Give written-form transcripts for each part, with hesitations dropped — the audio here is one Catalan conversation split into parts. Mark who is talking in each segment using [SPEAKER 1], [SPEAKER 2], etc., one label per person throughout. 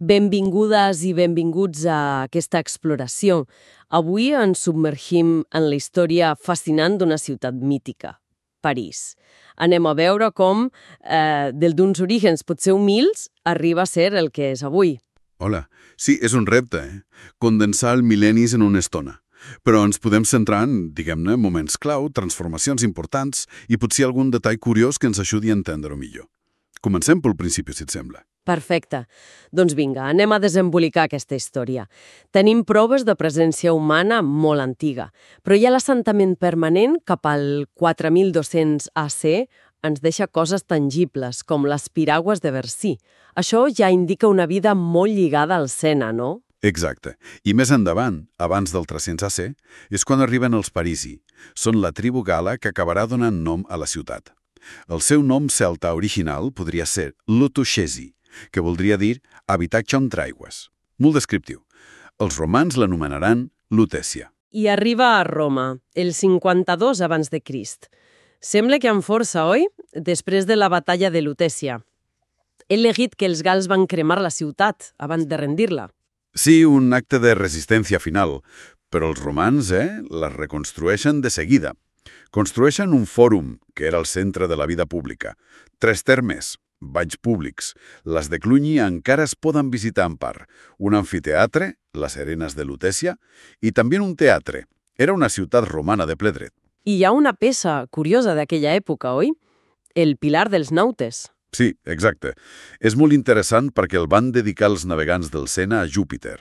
[SPEAKER 1] Benvingudes i benvinguts a aquesta exploració. Avui ens submergim en la història fascinant d'una ciutat mítica, París. Anem a veure com, d'uns orígens potser humils, arriba a ser el que és avui.
[SPEAKER 2] Hola. Sí, és un repte, condensar el mil·lennis en una estona. Però ens podem centrar en, diguem-ne, moments clau, transformacions importants i potser algun detall curiós que ens ajudi a entendre-ho millor. Comencem pel principi, si et sembla.
[SPEAKER 1] Perfecte. Doncs vinga, anem a desembolicar aquesta història. Tenim proves de presència humana molt antiga, però ja l'assentament permanent cap al 4200 AC ens deixa coses tangibles, com les piragües de Bercy. Això ja indica una vida molt lligada al Sena, no?
[SPEAKER 2] Exacte. I més endavant, abans del 300 AC, és quan arriben els parisi. Són la tribu gala que acabarà donant nom a la ciutat. El seu nom celta original podria ser Lutuchesi, que voldria dir habitatge entre aigües. Molt descriptiu. Els romans l'anomenaran Lutetia.
[SPEAKER 1] I arriba a Roma, el 52 abans de Crist. Sembla que amb força, oi? Després de la batalla de Lutetia. He llegit que els gals van cremar la ciutat abans de rendir-la.
[SPEAKER 2] Sí, un acte de resistència final, però els romans, la reconstrueixen de seguida. Construeixen un fòrum, que era el centre de la vida pública. 3 termes, banys públics. Les de Cluny encara es poden visitar en part. Un amfiteatre, les Arenes de Lutetia, i també un teatre. Era una ciutat romana de ple dret.
[SPEAKER 1] I hi ha una peça curiosa d'aquella època, oi? El Pilar dels Nautes.
[SPEAKER 2] Sí, exacte. És molt interessant perquè el van dedicar els navegants del Sena a Júpiter.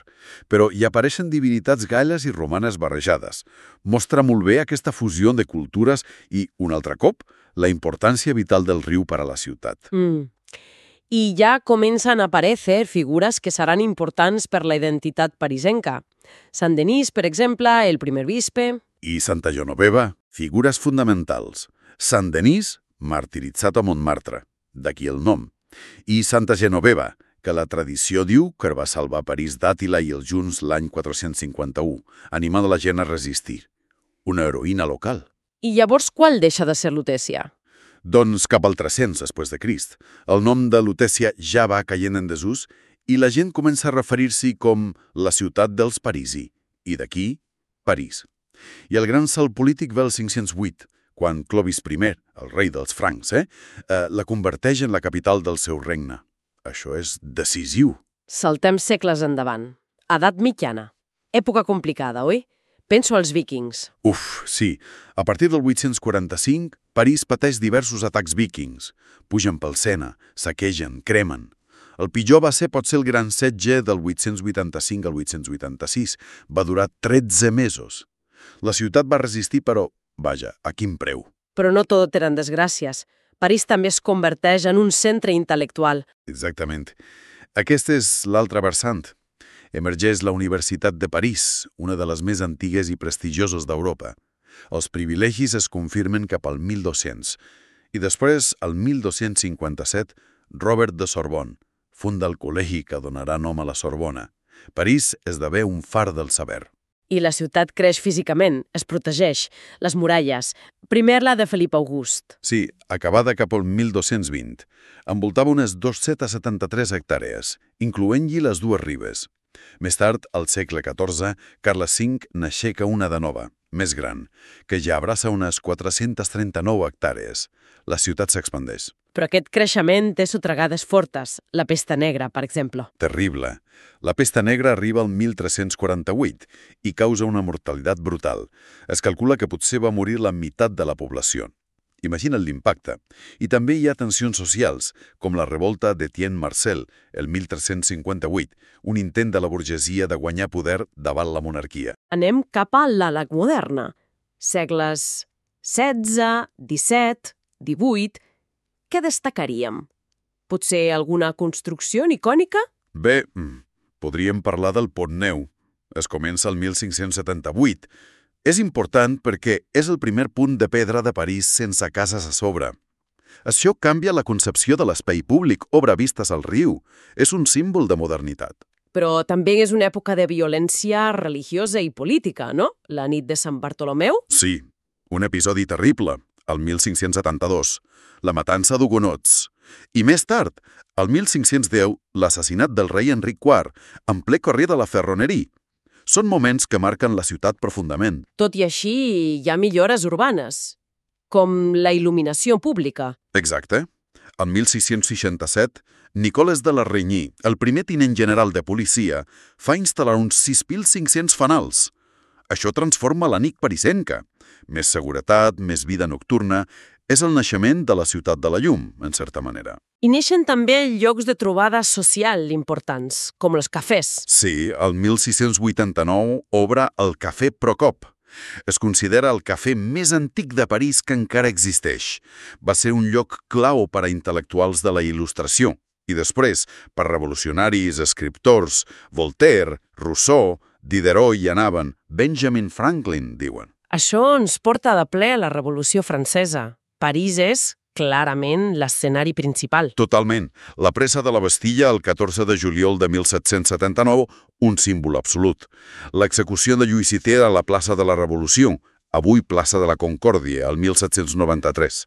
[SPEAKER 2] Però hi apareixen divinitats galles i romanes barrejades. Mostra molt bé aquesta fusió de cultures i, un altre cop, la importància vital del riu per a la ciutat.
[SPEAKER 1] I ja comencen a aparèixer figures que seran importants per la identitat parisenca. Sant Denis, per exemple, el primer bisbe.
[SPEAKER 2] I Santa Genoveva, figures fonamentals. Sant Denis, martiritzat a Montmartre. D'aquí el nom. I Santa Genoveva, que la tradició diu que va salvar París d'Àtila i els junts l'any 451, animant la gent a resistir. Una heroïna local.
[SPEAKER 1] I llavors qual deixa de ser Lutetia?
[SPEAKER 2] Doncs cap al 300 després de Crist. El nom de Lutetia ja va caient en desús i la gent comença a referir-s'hi com la ciutat dels Parisi. I d'aquí, París. I el gran salt polític ve el 508, quan Clovis I, el rei dels francs, la converteix en la capital del seu regne. Això és decisiu.
[SPEAKER 1] Saltem segles endavant. Edat mitjana. Època complicada, oi? Penso als vikings.
[SPEAKER 2] Sí. A partir del 845, París pateix diversos atacs vikings. Pugen pel Sena, saquegen, cremen. El pitjor va ser potser el gran setge del 885 al 886. Va durar 13 mesos. La ciutat va resistir, però vaja, a quin preu?
[SPEAKER 1] Però no tot eren desgràcies. París també es converteix en un centre intel·lectual.
[SPEAKER 2] Exactament. Aquesta és l'altra versant. Emergeix la Universitat de París, una de les més antigues i prestigioses d'Europa. Els privilegis es confirmen cap al 1200. I després, al 1257, Robert de Sorbonne funda el col·legi que donarà nom a la Sorbona. París esdevé un far del saber.
[SPEAKER 1] I la ciutat creix físicament, es protegeix. Les muralles. Primer la de Felip August.
[SPEAKER 2] Sí, acabada cap al 1220. Envoltava unes 273 hectàrees, incloent-hi les 2 ribes. Més tard, al segle XIV, Carles V n'aixeca una de nova, més gran, que ja abraça unes 439 hectàrees. La ciutat s'expandeix.
[SPEAKER 1] Però aquest creixement té sotragades fortes, la pesta negra, per exemple.
[SPEAKER 2] Terrible. La pesta negra arriba al 1348 i causa una mortalitat brutal. Es calcula que potser va morir la meitat de la població. Imagina't l'impacte. I també hi ha tensions socials, com la revolta d'Etienne Marcel, el 1358, un intent de la burgesia de guanyar poder davant la monarquia.
[SPEAKER 1] Anem cap a l'Àleg moderna. Segles XVI, XVII, XVIII... Què destacaríem? Potser alguna construcció icònica?
[SPEAKER 2] Bé, podríem parlar del Pont Nou. Es comença el 1578. És important perquè és el primer punt de pedra de París sense cases a sobre. Això canvia la concepció de l'espai públic, obre vistes al riu. És un símbol de modernitat.
[SPEAKER 1] Però també és una època de violència religiosa i política, no? La nit de Sant Bartolomeu?
[SPEAKER 2] Sí, un episodi terrible, el 1572. La matança d'hugonots. I més tard, al 1510, l'assassinat del rei Enric IV, en ple carrer de la Ferroneria. Són moments que marquen la ciutat profundament.
[SPEAKER 1] Tot i així, hi ha millores urbanes, com la il·luminació pública.
[SPEAKER 2] Exacte. El 1667, Nicoles de la Reigny, el primer tinent general de policia, fa instal·lar uns 6.500 fanals. Això transforma la nit parisenca. Més seguretat, més vida nocturna. És el naixement de la ciutat de la llum, en certa manera.
[SPEAKER 1] I neixen també llocs de trobada social importants, com els cafès.
[SPEAKER 2] Sí, el 1689 obre el Cafè Procop. Es considera el cafè més antic de París que encara existeix. Va ser un lloc clau per a intel·lectuals de la il·lustració. I després, per revolucionaris, escriptors, Voltaire, Rousseau, Diderot hi anaven, Benjamin Franklin, diuen.
[SPEAKER 1] Això ens porta de ple a la Revolució Francesa. París és, clarament, l'escenari principal.
[SPEAKER 2] Totalment. La presa de la Bastilla el 14 de juliol de 1779, un símbol absolut. L'execució de Lluís VI a la plaça de la Revolució, avui plaça de la Concòrdia, el 1793.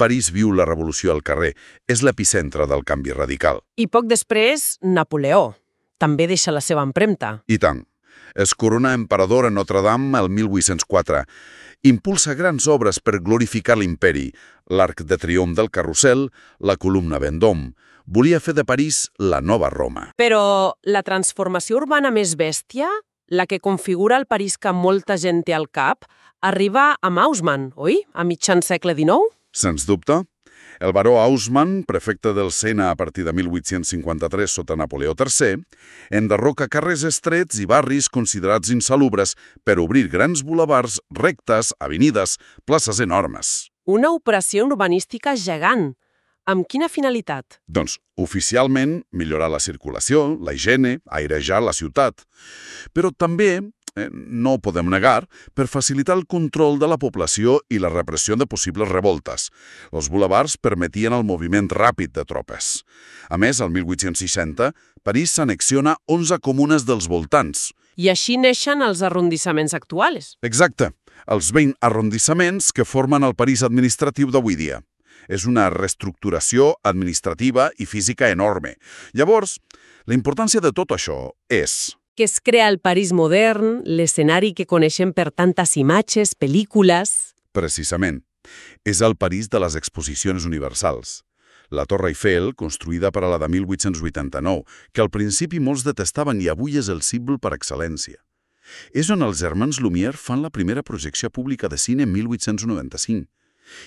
[SPEAKER 2] París viu la revolució al carrer. És l'epicentre del canvi radical.
[SPEAKER 1] I poc després, Napoleó. També deixa la seva empremta.
[SPEAKER 2] I tant. Es corona emperador a Notre-Dame el 1804. Impulsa grans obres per glorificar l'imperi, l'Arc de Triomf del Carrusel, la Columna Vendôme. Volia fer de París la nova Roma.
[SPEAKER 1] Però la transformació urbana més bèstia, la que configura el París que molta gent té al cap, arriba amb Haussmann, oi? A mitjan segle XIX?
[SPEAKER 2] Sens dubte. El baró Haussmann, prefecte del Sena a partir de 1853 sota Napoleó III, enderroca carrers estrets i barris considerats insalubres per obrir grans bulevards, rectes, avenides, places enormes.
[SPEAKER 1] Una operació urbanística gegant. Amb quina finalitat?
[SPEAKER 2] Doncs, oficialment, millorar la circulació, la higiene, airejar la ciutat. Però també, no ho podem negar, per facilitar el control de la població i la repressió de possibles revoltes. Els bulevards permetien el moviment ràpid de tropes. A més, el 1860, París s'anexiona 11 comunes dels voltants.
[SPEAKER 1] I així neixen els arrondissaments actuals.
[SPEAKER 2] Exacte, els 20 arrondissaments que formen el París administratiu d'avui dia. És una reestructuració administrativa i física enorme. Llavors, la importància de tot això és
[SPEAKER 1] que es crea el París modern, l'escenari que coneixem per tantes imatges, pel·lícules.
[SPEAKER 2] Precisament. És el París de les exposicions universals. La Torre Eiffel, construïda per a la de 1889, que al principi molts detestaven i avui és el símbol per excel·lència. És on els germans Lumière fan la primera projecció pública de cine en 1895.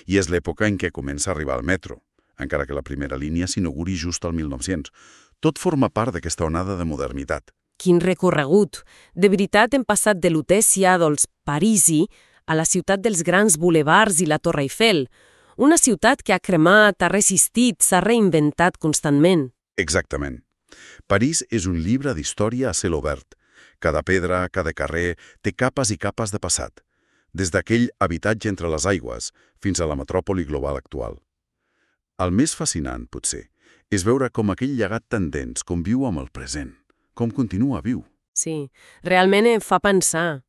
[SPEAKER 2] I és l'època en què comença a arribar el metro, encara que la primera línia s'inauguri just al 1900. Tot forma part d'aquesta onada de modernitat.
[SPEAKER 1] Quin recorregut! De veritat hem passat de l'Utècia, dels Parisi, a la ciutat dels grans bulevards i la Torre Eiffel. Una ciutat que ha cremat, ha resistit, s'ha reinventat constantment.
[SPEAKER 2] Exactament. París és un llibre d'història a cel obert. Cada pedra, cada carrer, té capes i capes de passat. Des d'aquell habitatge entre les aigües fins a la metròpoli global actual. El més fascinant, potser, és veure com aquell llegat tan dens conviu amb el present. Com continua viu.
[SPEAKER 1] Sí, realment em fa pensar.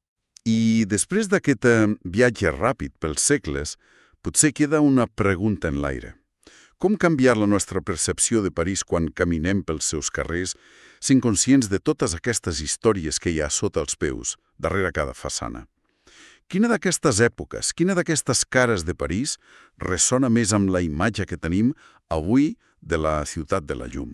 [SPEAKER 2] I després d'aquest viatge ràpid pels segles, potser queda una pregunta en l'aire. Com canviar la nostra percepció de París quan caminem pels seus carrers, sent conscients de totes aquestes històries que hi ha sota els peus, darrere cada façana? Quina d'aquestes èpoques, quina d'aquestes cares de París ressona més amb la imatge que tenim avui de la ciutat de la llum?